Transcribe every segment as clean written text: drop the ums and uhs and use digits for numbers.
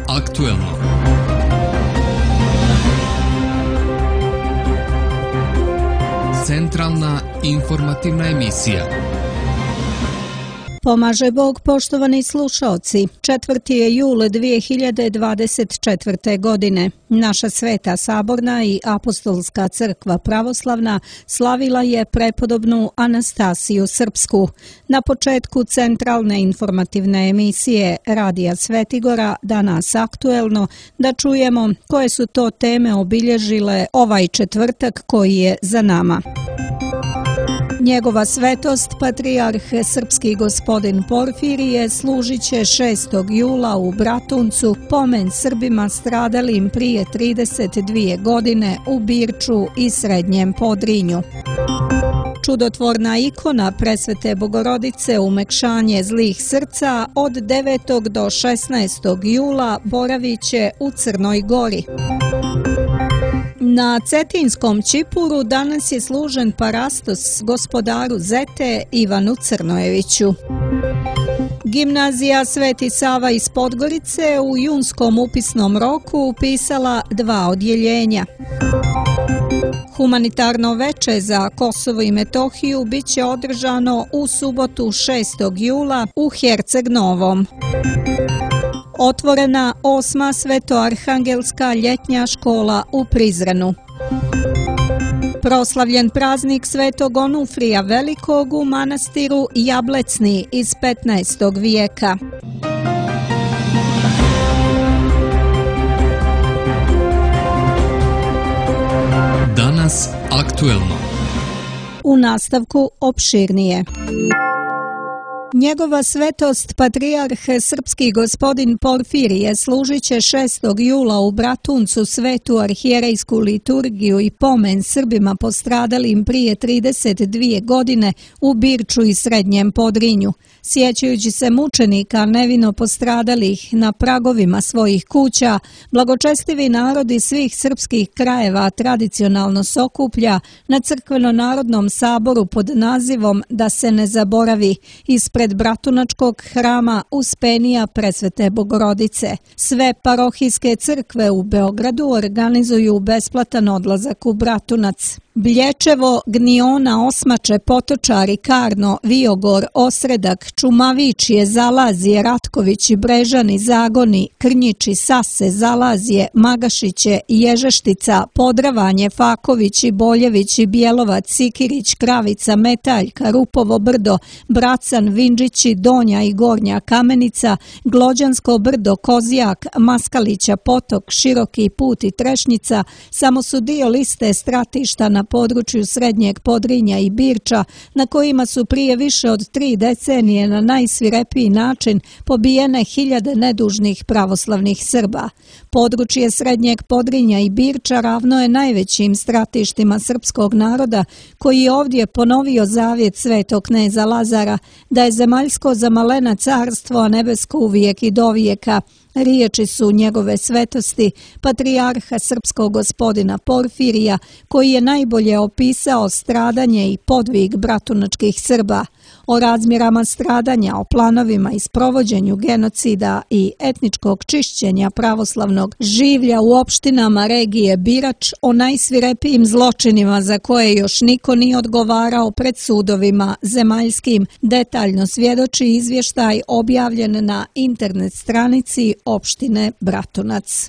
aktuelno. Centralna informativna emisija. Pomaže Bog, poštovani slušaoci. 4. je jul 2024. godine. Naša Sveta Saborna i Apostolska crkva pravoslavna slavila je prepodobnu Anastasiju Srpsku. Na početku centralne informativne emisije Radija Svetigora, danas aktuelno, da čujemo koje su to teme obilježile ovaj četvrtak koji je za nama. Njegova svetost, patrijarh srpski gospodin Porfirije, služit će 6. jula u Bratuncu pomen Srbima stradalim prije 32 godine u Birču i Srednjem Podrinju. Čudotvorna ikona Presvete Bogorodice umekšanje zlih srca od 9. do 16. jula boravit će u Crnoj Gori. Na Cetinskom Ćipuru danas je služen parastos gospodaru Zete Ivanu Crnojeviću. Gimnazija Sveti Sava iz Podgorice u junskom upisnom roku upisala 2 odjeljenja. Humanitarno veče za Kosovo i Metohiju biće održano u subotu 6. jula u Herceg Novom. Otvorena 8. Svetoarhangelska ljetnja škola u Prizrenu. Proslavljen praznik Svetog Onufrija Velikog u manastiru Jablecni iz 15. vijeka. Danas aktuelno. U nastavku opširnije. Njegova svetost, patrijarh srpski gospodin Porfirije, služit će 6. jula u Bratuncu svetu arhijerejsku liturgiju i pomen Srbima postradalim prije 32 godine u Birču i Srednjem Podrinju. Sjećajući se mučenika nevino postradalih na pragovima svojih kuća, blagočestivi narodi svih srpskih krajeva tradicionalno se okuplja na crkveno-narodnom saboru pod nazivom Da se ne zaboravi ispred Bratunačkog hrama Uspenija Presvete Bogorodice. Sve parohijske crkve u Beogradu organizuju besplatan odlazak u Bratunac. Blječevo, Gniona, Osmače, Potočari, Karno, Viogor, Osredak, Čumavičije, Zalazije, Ratkovići, Brežani, Zagoni, Krnjiči, Sase, Zalazije, Magašiće, Ježeštica, Podravanje, Fakovići, Boljevići, Bjelovac, Sikirić, Kravica, Metaljka, Rupovo brdo, Bracan, Vinđići, Donja i Gornja Kamenica, Glođansko brdo, Kozijak, Maskalića, Potok, Široki put i Trešnjica samo su dio liste stratišta na području Srednjeg Podrinja i Birča, na kojima su prije više od 3 decenije na najsvirepiji način pobijene hiljade nedužnih pravoslavnih Srba. Područje Srednjeg Podrinja i Birča ravno je najvećim stratištima srpskog naroda, koji je ovdje ponovio zavjet svetog kneza Lazara da je zemaljsko za malena carstvo, a nebesko uvijek i dovijeka. Riječi su njegove svetosti, patrijarha srpskog gospodina Porfirija, koji je najbolje opisao stradanje i podvig bratunačkih Srba. O razmjerama stradanja, o planovima i sprovođenju genocida i etničkog čišćenja pravoslavnog življa u opštinama regije Birač, o najsvirepijim zločinima za koje još niko nije odgovarao pred sudovima zemaljskim, detaljno svjedoči izvještaj objavljen na internet stranici opštine Bratunac.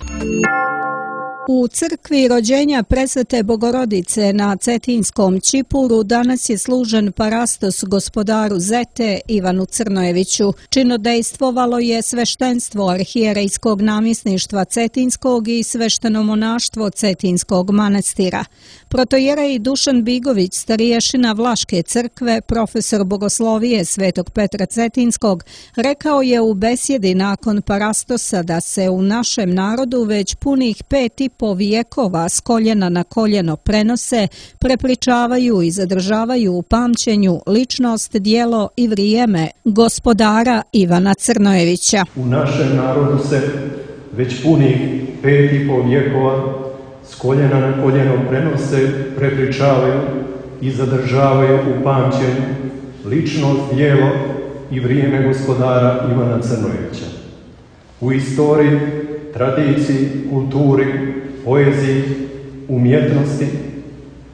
U crkvi rođenja Presvete Bogorodice na Cetinskom Ćipuru danas je služen parastos gospodaru Zete Ivanu Crnojeviću. Činodejstvovalo je sveštenstvo arhijerejskog namjesništva Cetinskog i svešteno monaštvo Cetinskog manastira. Protojerej Dušan Bigović, stariješina Vlaške crkve, profesor bogoslovije Svetog Petra Cetinskog, rekao je u besjedi nakon parastosa da se u našem narodu već punih 5,5 vijekova s koljena na koljeno prenose, prepričavaju i zadržavaju u pamćenju ličnost, djelo i vrijeme gospodara Ivana Crnojevića. U našem narodu se već punih 5,5 vijekova s koljena na koljeno prenose, prepričavaju i zadržavaju u pamćenju ličnost, djelo i vrijeme gospodara Ivana Crnojevića. U istoriji tradiciji, kulturi, poeziji, umjetnosti,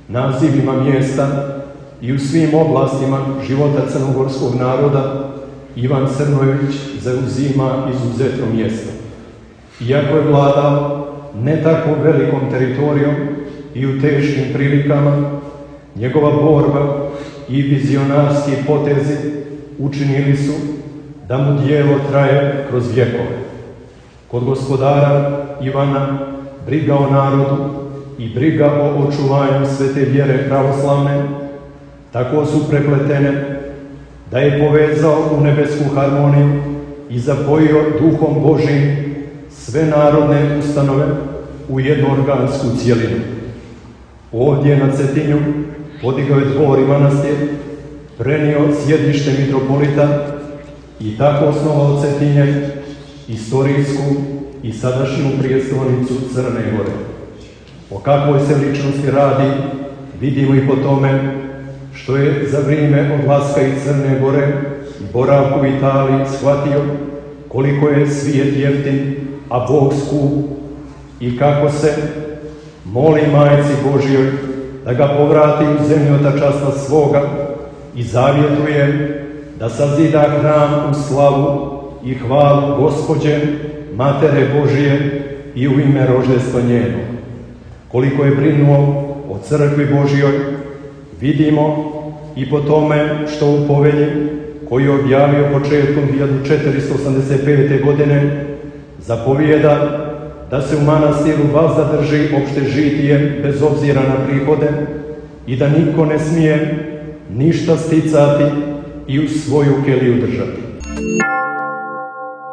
nazivima mjesta i u svim oblastima života crnogorskog naroda Ivan Crnojević zauzima izuzetno mjesto. Iako je vladao ne tako velikom teritorijom i u teškim prilikama, njegova borba i vizionarski potezi učinili su da mu djelo traje kroz vjekove. Kod gospodara Ivana briga o narodu i briga o očuvanju svete vjere pravoslavne tako su prepletene da je povezao u nebesku harmoniju i zapojio duhom Božim sve narodne ustanove u jednu organsku cijelinu. Ovdje na Cetinju podigao je dvor i manastir, prenio sjedište mitropolita i tako osnovao Cetinje, istorijsku i sadašnju prijestolnicu Crne Gore. O kakvoj se ličnosti radi vidimo i po tome što je za vrijeme odlaska iz Crne Gore i boravku u Italiji shvatio koliko je svijet jeftin, a Bog skup, i kako se moli Majci Božjoj da ga povrati u zemlju otačanstva svoga i zavjetuje da sazida hram u slavu i hvalu Gospođe, Matere Božije i u ime roždestva njenog. Koliko je brinuo o crkvi Božjoj, vidimo i po tome što u povelji koju je objavio početkom 1485. godine zapovijeda da se u manastiru zadrži opšte žitije bez obzira na prihode i da niko ne smije ništa sticati i u svoju keliju držati.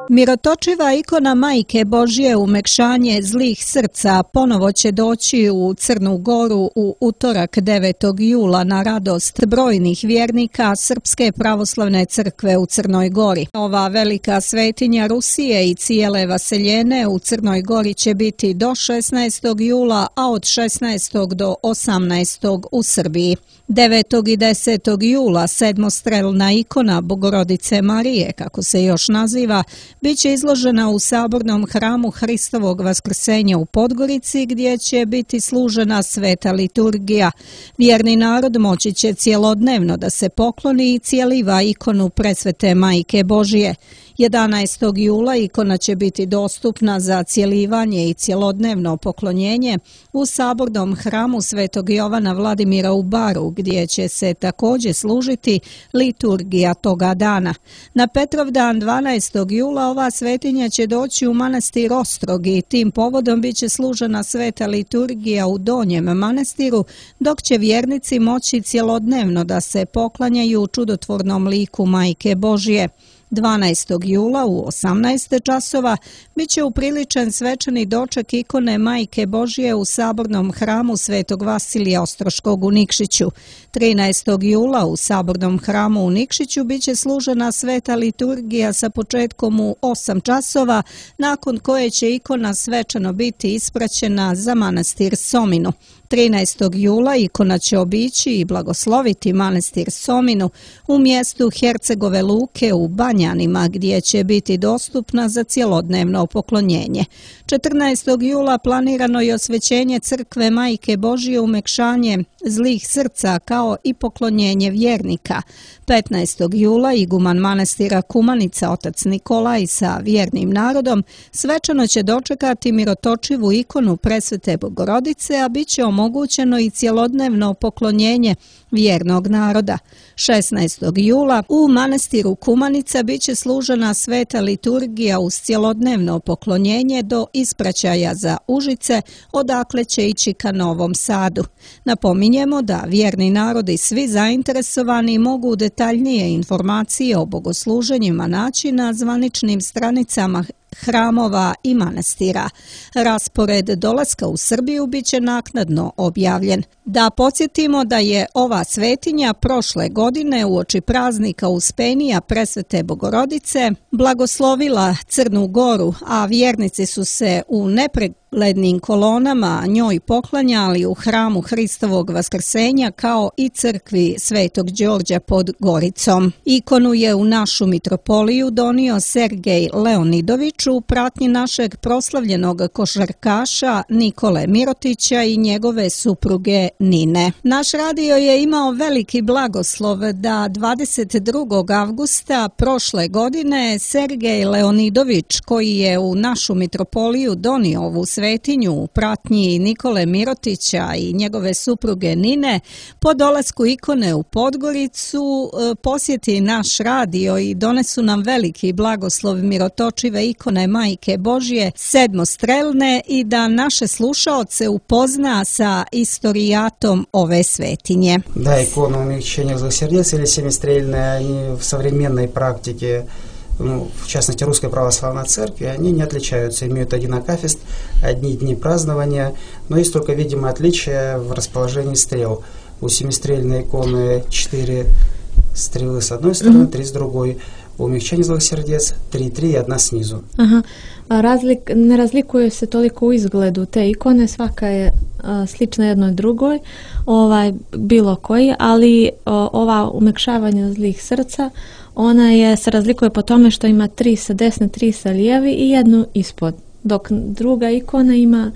Mirotočiva ikona Majke Božje umekšanje zlih srca ponovo će doći u Crnu Goru u utorak 9. jula na radost brojnih vjernika Srpske pravoslavne crkve u Crnoj Gori. Ova velika svetinja Rusije i cijele vaseljene u Crnoj Gori će biti do 16. jula, a od 16. do 18. u Srbiji. 9. i 10. jula sedmostrelna ikona Bogorodice Marije, kako se još naziva, bit će izložena u sabornom hramu Hristovog vaskrsenja u Podgorici, gdje će biti služena sveta liturgija. Vjerni narod moći će cjelodnevno da se pokloni i cijeliva ikonu presvete Majke Božije. 11. jula ikona će biti dostupna za cjelivanje i cjelodnevno poklonjenje u sabornom hramu Svetog Jovana Vladimira u Baru, gdje će se također služiti liturgija toga dana. Na Petrovdan 12. jula ova svetinja će doći u manastir Ostrog i tim povodom bit će služena sveta liturgija u Donjem manastiru, dok će vjernici moći cjelodnevno da se poklanjaju čudotvornom liku Majke Božje. 12. jula u 18 časova bit će upriličen svečani doček ikone Majke Božje u sabornom hramu Svetog Vasilija Ostroškog u Nikšiću. 13. jula u sabornom hramu u Nikšiću bit će služena sveta liturgija sa početkom u 8 časova, nakon koje će ikona svečano biti ispraćena za manastir Sominu. 13. jula ikona će obići i blagosloviti manastir Sominu u mjestu Hercegove Luke u Banjanima, gdje će biti dostupna za cjelodnevno poklonjenje. 14. jula planirano je osvećenje crkve Majke Božje umekšanje zlih srca kao i poklonjenje vjernika. 15. jula iguman manastira Kumanica otac Nikolaj sa vjernim narodom svečano će dočekati mirotočivu ikonu presvete Bogorodice, a bit će omogućeno i cjelodnevno poklonjenje vjernog naroda. 16. jula u manastiru Kumanica bit će služena sveta liturgija uz cjelodnevno poklonjenje do ispraćaja za Užice, odakle će ići ka Novom Sadu. Napominjemo da vjerni narod i svi zainteresovani mogu detaljnije informacije o bogosluženjima naći na zvaničnim stranicama hramova i manastira. Raspored dolaska u Srbiju bit će naknadno objavljen. Da podsjetimo da je ova svetinja prošle godine uoči praznika Uspenija presvete Bogorodice blagoslovila Crnu Goru, a vjernici su se u uglednim kolonama njoj poklanjali u hramu Hristovog vaskrsenja kao i crkvi Svetog Đorđa pod Goricom. Ikonu je u našu mitropoliju donio Sergej Leonidović u pratnji našeg proslavljenog košarkaša Nikole Mirotića i njegove supruge Nine. Naš radio je imao veliki blagoslov da 22. avgusta prošle godine Sergej Leonidović, koji je u našu mitropoliju donio ovu svetinju u pratnji Nikole Mirotića i njegove supruge Nine, po dolasku ikone u Podgoricu posjeti naš radio i donesu nam veliki blagoslov mirotočive ikone Majke Božje sedmostrelne i da naše slušaoce upozna sa istorijatom ove svetinje. Да, иконы умягчения злых сердец или семистрельные, они в современной практике, в частности Русской Православной Церкви, они не отличаются, имеют один акафист, одни дни празднования, но есть только видимое отличие в расположении стрел. У семистрельной иконы 4 стрелы с одной стороны, 3 с другой. У умягчения злых сердец 3 и 1 снизу. Aha. Ne razlikuju se toliko u izgledu te ikone, svaka je slična jednoj drugoj, bilo koji, ali ova umekšavanja zlih srca, ona se razlikuje po tome što ima 3 sa desne, 3 sa lijevi i jednu ispod, dok druga ikona ima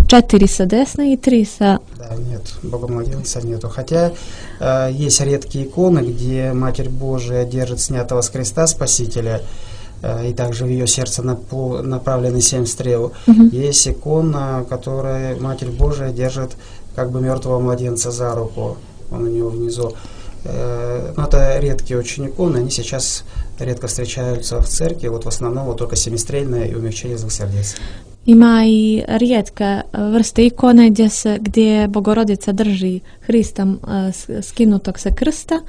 4 sa desne и 3 sa... Да, нет, Богомладенца нету. Хотя есть редкие иконы, где Матерь Божия держит снятого с креста Спасителя, и также в ее сердце направлены 7 стрел. Есть икона, которая Матерь Божия держит как бы мертвого младенца за руку, он у нее внизу. Но это редкие очень иконы, они сейчас редко встречаются в церкви, вот в основном вот только семистрельное и умягчение злых сердец. Ima i rijetke vrste ikone gdje Bogorodica drži Hrista skinutog sa krsta,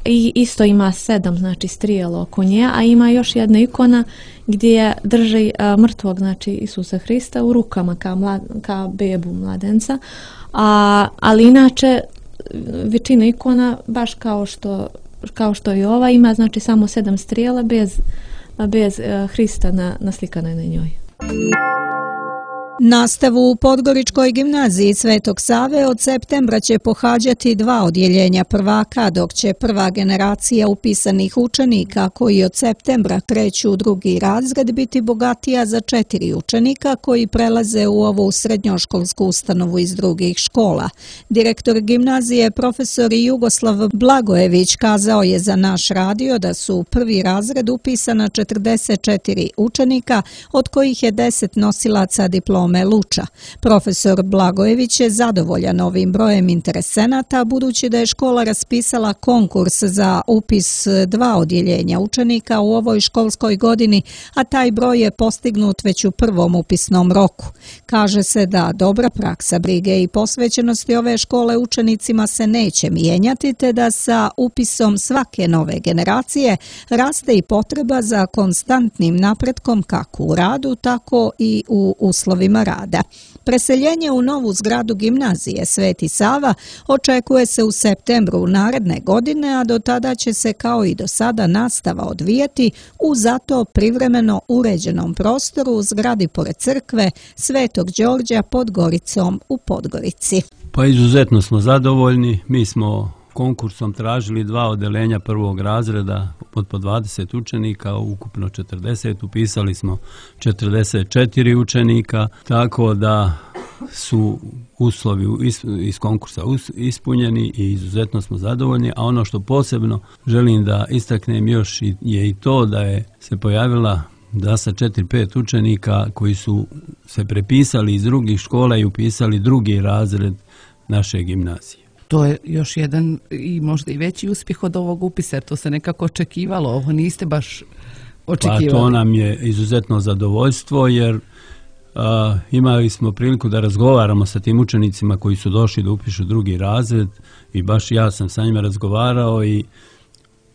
i isto ima 7, znači strijelo oko nje, a ima još jedna ikona gdje drži mrtvog, znači Isusa Hrista u rukama kao bebu mladenca, ali inače većina ikona baš kao što i ova ima, znači samo 7 strijela bez Hrista naslikane na njoj. Nastavu u Podgoričkoj gimnaziji Svetog Save od septembra će pohađati 2 odjeljenja prvaka, dok će prva generacija upisanih učenika koji od septembra kreću u 2. razred biti bogatija za 4 učenika koji prelaze u ovu srednjoškolsku ustanovu iz drugih škola. Direktor gimnazije profesor Jugoslav Blagojević kazao je za naš radio da su u 1. razred upisana 44 učenika, od kojih je 10 nosilaca diplome Luča. Profesor Blagojević je zadovoljan ovim brojem interesenata, budući da je škola raspisala konkurs za upis 2 odjeljenja učenika u ovoj školskoj godini, a taj broj je postignut već u prvom upisnom roku. Kaže se da dobra praksa brige i posvećenosti ove škole učenicima se neće mijenjati, te da sa upisom svake nove generacije raste i potreba za konstantnim napretkom kako u radu, tako i u uslovima rada. Preseljenje u novu zgradu gimnazije Sveti Sava očekuje se u septembru naredne godine, a do tada će se kao i do sada nastava odvijati u zato privremeno uređenom prostoru u zgradi pored crkve Svetog Đorđa pod Goricom u Podgorici. Pa izuzetno smo zadovoljni, mi smo konkursom tražili 2 odeljenja 1. razreda od po 20 učenika, ukupno 40, upisali smo 44 učenika, tako da su uslovi iz konkursa ispunjeni i izuzetno smo zadovoljni, a ono što posebno želim da istaknem još je i to da je se pojavila da sa 4-5 učenika koji su se prepisali iz drugih škola i upisali 2. razred naše gimnazije. To je još jedan i možda i veći uspjeh od ovog upisa, jer to se nekako očekivalo, ovo niste baš očekivali. Pa to nam je izuzetno zadovoljstvo, jer imali smo priliku da razgovaramo sa tim učenicima koji su došli da upišu 2. razred i baš ja sam sa njima razgovarao i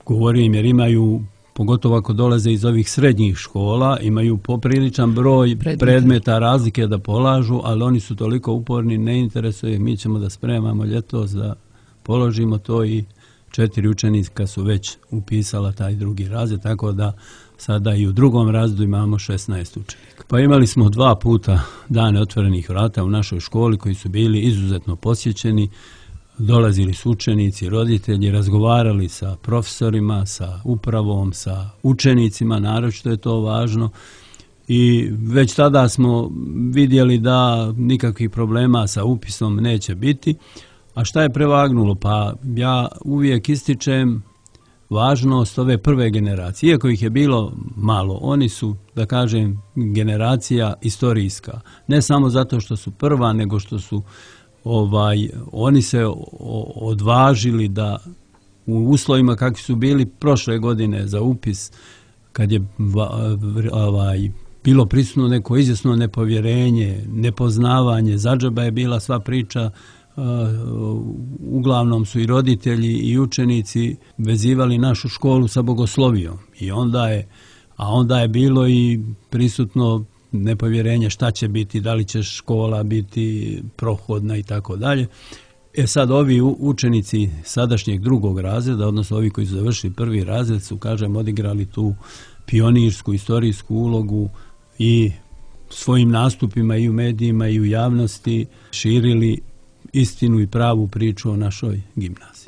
govorio im, jer imaju, pogotovo ako dolaze iz ovih srednjih škola, imaju popriličan broj predmeta razlike da polažu, ali oni su toliko uporni, ne interesuje, mi ćemo da spremamo ljetos da položimo to i 4 učenika su već upisala taj drugi razred, tako da sada i u drugom razredu imamo 16 učenika. Pa imali smo 2 puta dane otvorenih vrata u našoj školi koji su bili izuzetno posjećeni. Dolazili su učenici, roditelji, razgovarali sa profesorima, sa upravom, sa učenicima, naročito je to važno. I već tada smo vidjeli da nikakvih problema sa upisom neće biti. A šta je prevagnulo? Pa ja uvijek ističem važnost ove prve generacije. Iako ih je bilo malo, oni su, da kažem, generacija istorijska. Ne samo zato što su prva, nego što su oni se odvažili da u uslovima kakvi su bili prošle godine za upis, kad je bilo prisutno neko izvjesno nepovjerenje, nepoznavanje, zadžaba je bila sva priča, uglavnom su i roditelji i učenici vezivali našu školu sa bogoslovijom. Onda je bilo i prisutno nepovjerenje šta će biti, da li će škola biti prohodna i tako dalje. Sad ovi učenici sadašnjeg drugog razreda, odnosno ovi koji su završili prvi razred, su, kažem, odigrali tu pionirsku, istorijsku ulogu i svojim nastupima i u medijima i u javnosti širili istinu i pravu priču o našoj gimnaziji.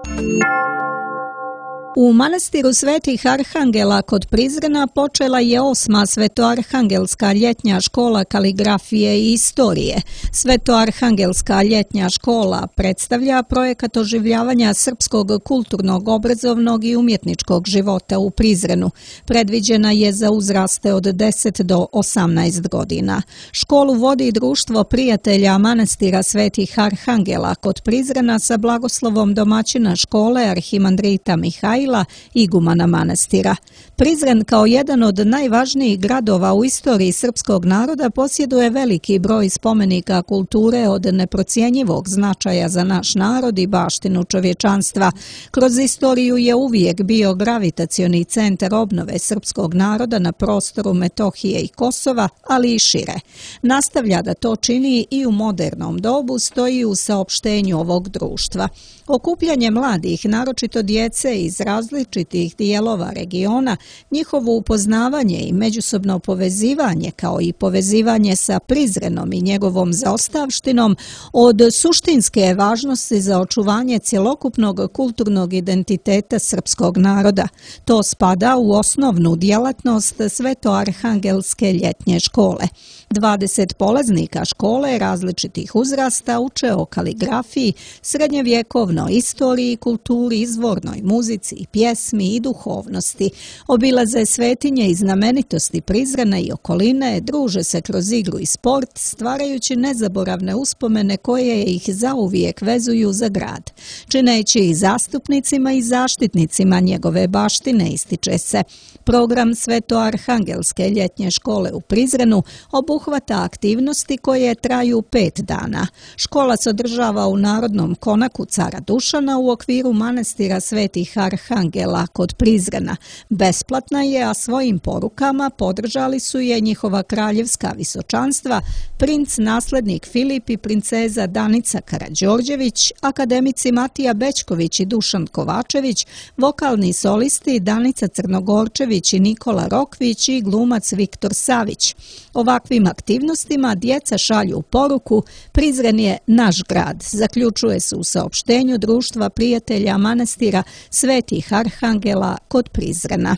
U manastiru Svetih Arhangela kod Prizrena počela je 8. Svetoarhangelska ljetnja škola kaligrafije i istorije. Svetoarhangelska ljetnja škola predstavlja projekat oživljavanja srpskog kulturnog, obrazovnog i umjetničkog života u Prizrenu. Predviđena je za uzraste od 10 do 18 godina. Školu vodi Društvo prijatelja manastira Svetih Arhangela kod Prizrena sa blagoslovom domaćina škole arhimandrita Mihaila, igumana manastira. Prizren kao jedan od najvažnijih gradova u istoriji srpskog naroda posjeduje veliki broj spomenika kulture od neprocjenjivog značaja za naš narod i baštinu čovječanstva. Kroz istoriju je uvijek bio gravitacioni centar obnove srpskog naroda na prostoru Metohije i Kosova, ali i šire. Nastavlja da to čini i u modernom dobu, stoji u saopštenju ovog društva. Okupljanje mladih, naročito djece iz različitih dijelova regiona, njihovo upoznavanje i međusobno povezivanje, kao i povezivanje sa Prizrenom i njegovom zaostavštinom, od suštinske je važnosti za očuvanje cjelokupnog kulturnog identiteta srpskog naroda. To spada u osnovnu djelatnost Svetoarhangelske ljetnje škole. 20 polaznika škole različitih uzrasta uče o kaligrafiji, srednjevjekovnoj istoriji, kulturi, izvornoj muzici i pjesmi i duhovnosti. Obilaze svetinje i znamenitosti Prizrena i okoline, druže se kroz igru i sport, stvarajući nezaboravne uspomene koje ih zauvijek vezuju za grad. Čineći ih zastupnicima i zaštitnicima njegove baštine, ističe se. Program Svetoarhangelske ljetnje škole u Prizrenu obuhvata aktivnosti koje traju 5 dana. Škola se održava u Narodnom konaku cara Dušana u okviru manastira Svetih Arhangela kod Prizrena. Besplatna je, a svojim porukama podržali su je njihova kraljevska visočanstva, princ naslednik Filip i princeza Danica Karađorđević, akademici Matija Bećković i Dušan Kovačević, vokalni solisti Danica Crnogorčević i Nikola Rokvić i glumac Viktor Savić. Ovakvim aktivnostima djeca šalju poruku: Prizren je naš grad, zaključuje se u saopštenju Društva prijatelja manastira Svetih Arhangela kod Prizrena.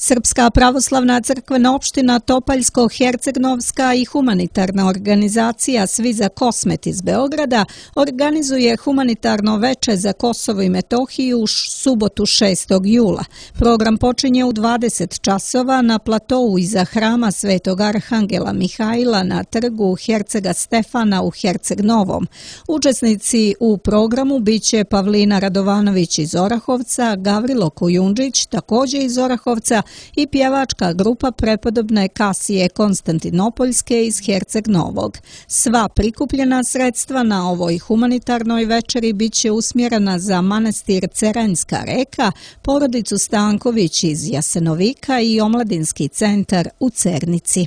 Srpska pravoslavna crkvena opština Topaljsko-Hercegnovska i humanitarna organizacija Svi za Kosmet iz Beograda organizuje humanitarno veče za Kosovo i Metohiju u subotu 6. jula. Program počinje u 20 časova na platovu iza hrama Svetog Arhangela Mihaila na trgu Hercega Stefana u Herceg Novom. Učesnici u programu biće Pavlina Radovanović iz Orahovca, Gavrilo Kujundžić također iz Orahovca i pjevačka grupa prepodobne Kasije Konstantinopoljske iz Herceg Novog. Sva prikupljena sredstva na ovoj humanitarnoj večeri biće usmjerena za manastir Ceranjska reka, porodicu Stanković iz Jasenovika i omladinski centar u Cernici.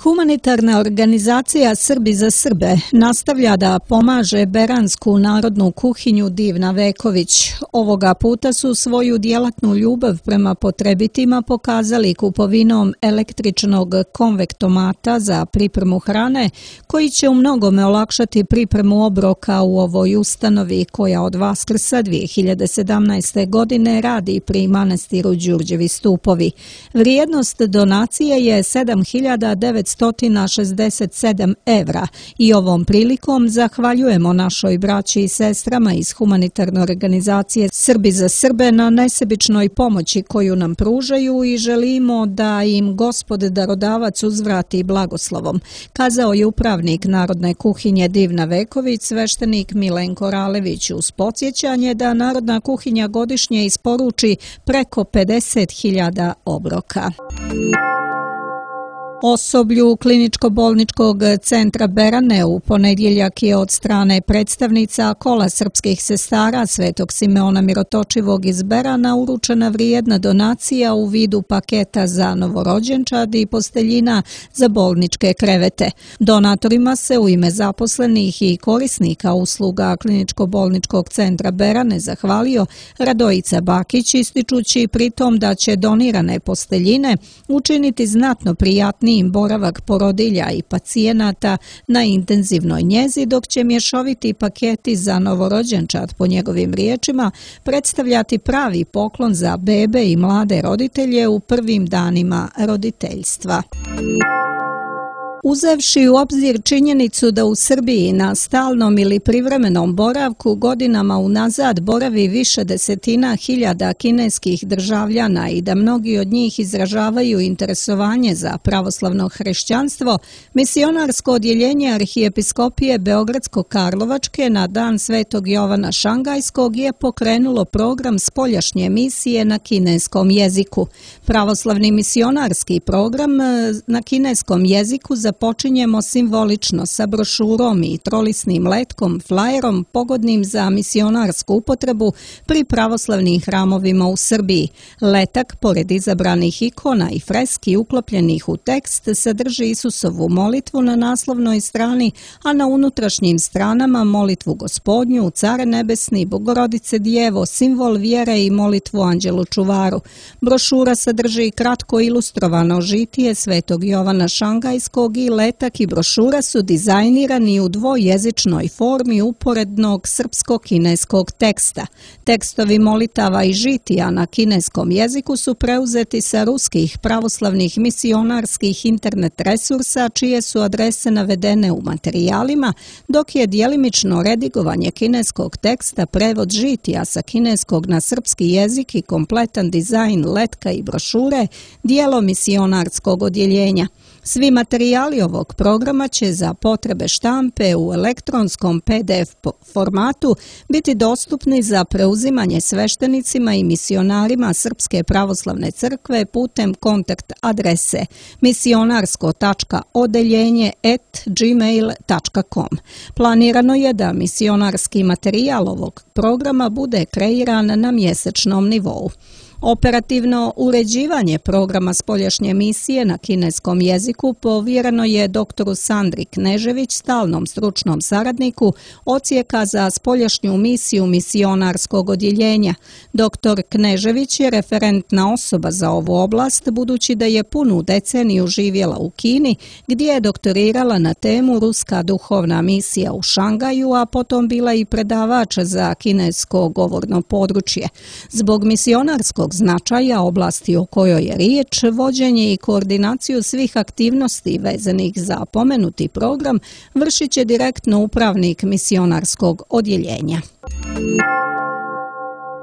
Humanitarna organizacija Srbi za Srbe nastavlja da pomaže beransku narodnu kuhinju Divna Veković. Ovoga puta su svoju djelatnu ljubav prema potrebitima pokazali kupovinom električnog konvektomata za pripremu hrane, koji će u mnogome olakšati pripremu obroka u ovoj ustanovi koja od Vaskrsa 2017. godine radi pri manastiru Đurđevi Stupovi. Vrijednost donacije je 7.967 evra i ovom prilikom zahvaljujemo našoj braći i sestrama iz humanitarne organizacije Srbi za Srbe na nesebičnoj pomoći koju nam pružaju i želimo da im Gospod darodavac uzvrati blagoslovom, kazao je upravnik Narodne kuhinje Divna Veković, sveštenik Milenko Ralević, uz podsjećanje da Narodna kuhinja godišnje isporuči preko 50.000 obroka. Osoblju Kliničko-bolničkog centra Berane u ponedjeljak je od strane predstavnica Kola srpskih sestara Svetog Simeona Mirotočivog iz Berana uručena vrijedna donacija u vidu paketa za novorođenčad i posteljina za bolničke krevete. Donatorima se u ime zaposlenih i korisnika usluga Kliničko-bolničkog centra Berane zahvalio Radojica Bakić, ističući pritom da će donirane posteljine učiniti znatno prijatnijim boravak porodilja i pacijenata na intenzivnoj njezi, dok će mješoviti paketi za novorođenčad, po njegovim riječima, predstavljati pravi poklon za bebe i mlade roditelje u prvim danima roditeljstva. Uzevši u obzir činjenicu da u Srbiji na stalnom ili privremenom boravku godinama unazad boravi više desetina hiljada kineskih državljana i da mnogi od njih izražavaju interesovanje za pravoslavno hrišćanstvo, misionarsko odjeljenje Arhijepiskopije Beogradsko-Karlovačke na dan Svetog Jovana Šangajskog je pokrenulo program spoljašnje misije na kineskom jeziku. Pravoslavni misionarski program na kineskom jeziku započinjemo simbolično sa brošurom i trolisnim letkom, flajerom pogodnim za misionarsku upotrebu pri pravoslavnim hramovima u Srbiji. Letak, pored izabranih ikona i freski uklopljenih u tekst, sadrži Isusovu molitvu na naslovnoj strani, a na unutrašnjim stranama molitvu Gospodnju, Care nebesni, Bogorodice Djevo, simbol vjere i molitvu Anđelu čuvaru. Brošura sadrži kratko ilustrovano žitije Svetog Jovana Šangajskog i letak i brošura su dizajnirani u dvojezičnoj formi uporednog srpsko-kineskog teksta. Tekstovi molitava i žitija na kineskom jeziku su preuzeti sa ruskih pravoslavnih misionarskih internet resursa, čije su adrese navedene u materijalima, dok je djelimično redigovanje kineskog teksta, prevod žitija sa kineskog na srpski jezik i kompletan dizajn letka i brošure dijelo misionarskog odjeljenja. Svi materijali ovog programa će za potrebe štampe u elektronskom PDF formatu biti dostupni za preuzimanje sveštenicima i misionarima Srpske pravoslavne crkve putem kontakt adrese misionarsko.odeljenje@gmail.com. Planirano je da misionarski materijal ovog programa bude kreiran na mjesečnom nivou. Operativno uređivanje programa spoljašnje misije na kineskom jeziku povjereno je doktoru Sandri Knežević, stalnom stručnom saradniku odsjeka za spoljašnju misiju misionarskog odjeljenja. Doktor Knežević je referentna osoba za ovu oblast, budući da je punu deceniju živjela u Kini, gdje je doktorirala na temu Ruska duhovna misija u Šangaju, a potom bila i predavač za kinesko govorno područje. Zbog misionarskog značaja oblasti o kojoj je riječ, vođenje i koordinaciju svih aktivnosti vezanih za pomenuti program vršit će direktno upravnik misionarskog odjeljenja.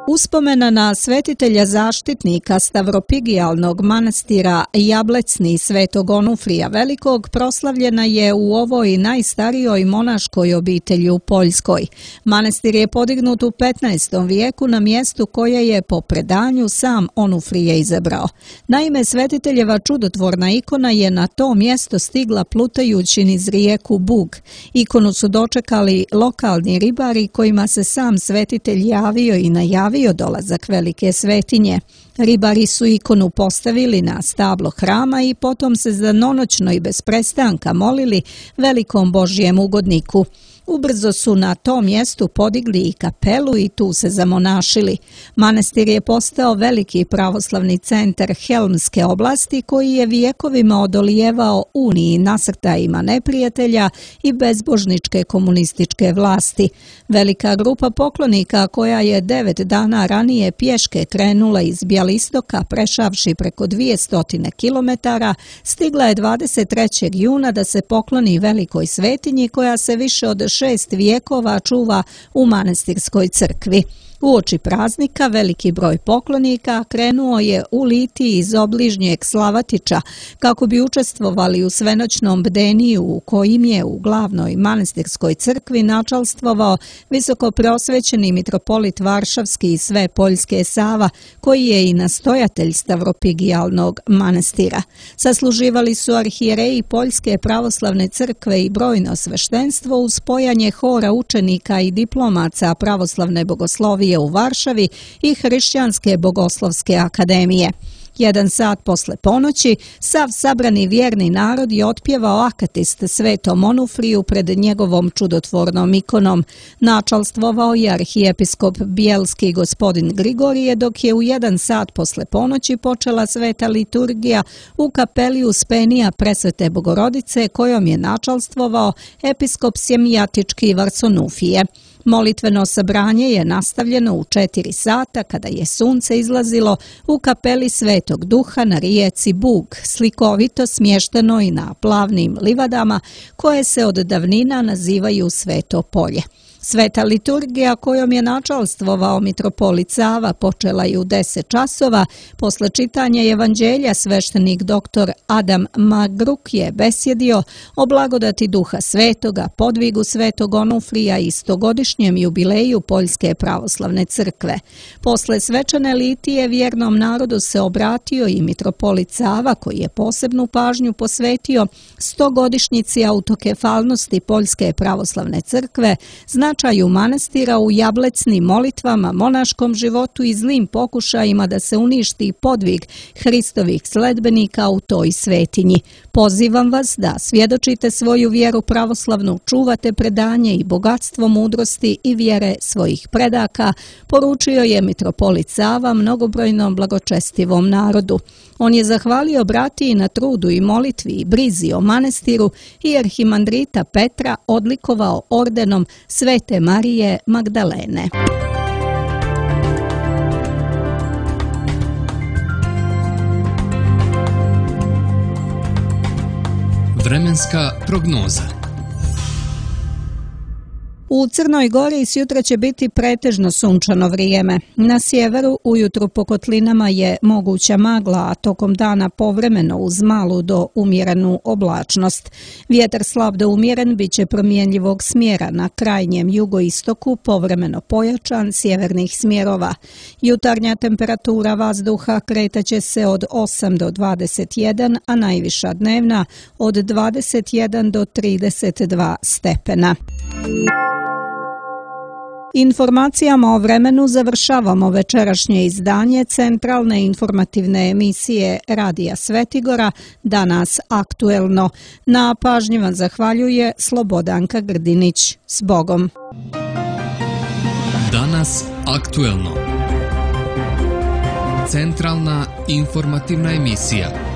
Uspomena na svetitelja zaštitnika Stavropigijalnog manastira Jablecni Svetog Onufrija Velikog proslavljena je u ovoj najstarijoj monaškoj obitelji u Poljskoj. Manastir je podignut u 15. vijeku na mjestu koje je po predanju sam Onufrije izabrao. Naime, svetiteljeva čudotvorna ikona je na to mjesto stigla plutajući niz rijeku Bug. Ikonu su dočekali lokalni ribari kojima se sam svetitelj javio i najavio najavio dolazak velike svetinje. Ribari su ikonu postavili na stablo hrama i potom se danonoćno i bez prestanka molili velikom Božjem ugodniku. Ubrzo su na tom mjestu podigli i kapelu i tu se zamonašili. Manastir je postao veliki pravoslavni centar Helmske oblasti koji je vijekovima odolijevao uniji nasrtajima neprijatelja i bezbožničke komunističke vlasti. Velika grupa poklonika koja je 9 dana ranije pješke krenula iz Bjelistoka prešavši preko 200 kilometara, stigla je 23. juna da se pokloni velikoj svetinji koja se više od 6 vijekova čuva u manastirskoj crkvi. Uoči praznika veliki broj poklonika krenuo je u litiji iz obližnjeg Slavatića kako bi učestvovali u svenoćnom bdeniju u kojim je u glavnoj manastirskoj crkvi načalstvovao visokopreosvećeni mitropolit Varšavski i sve Poljske Sava, koji je i nastojatelj Stavropigijalnog manastira. Sasluživali su arhijereji Poljske pravoslavne crkve i brojno sveštenstvo uz spojanje hora učenika i diplomaca pravoslavne bogoslovije u Varšavi i Hrišćanske bogoslovske akademije. 1 sat posle ponoći sav sabrani vjerni narod je otpjevao akatist Svetom Onufriju pred njegovom čudotvornom ikonom. Načalstvovao je arhijepiskop Bijelski gospodin Grigorije, dok je u 1 sat posle ponoći počela sveta liturgija u kapeli Uspenija Presvete Bogorodice kojom je načalstvovao episkop Sjemijatički Varsonufije. Molitveno sabranje je nastavljeno u 4 sata kada je sunce izlazilo u kapeli Svetog Duha na rijeci Bug, slikovito smješteno i na plavnim livadama koje se od davnina nazivaju Sveto polje. Sveta liturgija kojom je načalstvovao mitropolit Sava počela je u 10 časova. Posle čitanja evanđelja sveštenik dr. Adam Magruk je besjedio o blagodati Duha Svetoga, podvigu Svetog Onufrija i 100-godišnjem jubileju Poljske pravoslavne crkve. Posle svečane litije vjernom narodu se obratio i mitropolit Sava koji je posebnu pažnju posvetio 100-godišnjici autokefalnosti Poljske pravoslavne crkve, značaju manastira u jablecnim molitvama, monaškom životu i zlim pokušajima da se uništi podvig Hristovih sledbenika u toj svetinji. Pozivam vas da svjedočite svoju vjeru pravoslavnu, čuvate predanje i bogatstvo mudrosti i vjere svojih predaka, poručio je mitropolit Sava mnogobrojnom blagočestivom narodu. On je zahvalio bratiji na trudu i molitvi i brizi o manastiru i arhimandrita Petra odlikovao ordenom Svete Marije Magdalene. Vremenska prognoza. U Crnoj Gori sjutra će biti pretežno sunčano vrijeme. Na sjeveru ujutro po kotlinama je moguća magla, a tokom dana povremeno uz malu do umjerenu oblačnost. Vjetar slab do umjeren bit će promjenjivog smjera, na krajnjem jugoistoku povremeno pojačan sjevernih smjerova. Jutarnja temperatura vazduha kretaće se od 8 do 21, a najviša dnevna od 21 do 32 stepena. Informacijama o vremenu završavamo večerašnje izdanje centralne informativne emisije Radija Svetigora, Danas aktuelno. Na pažnji vam zahvaljuje Slobodanka Grdinić. S Bogom! Danas aktuelno. Centralna informativna emisija.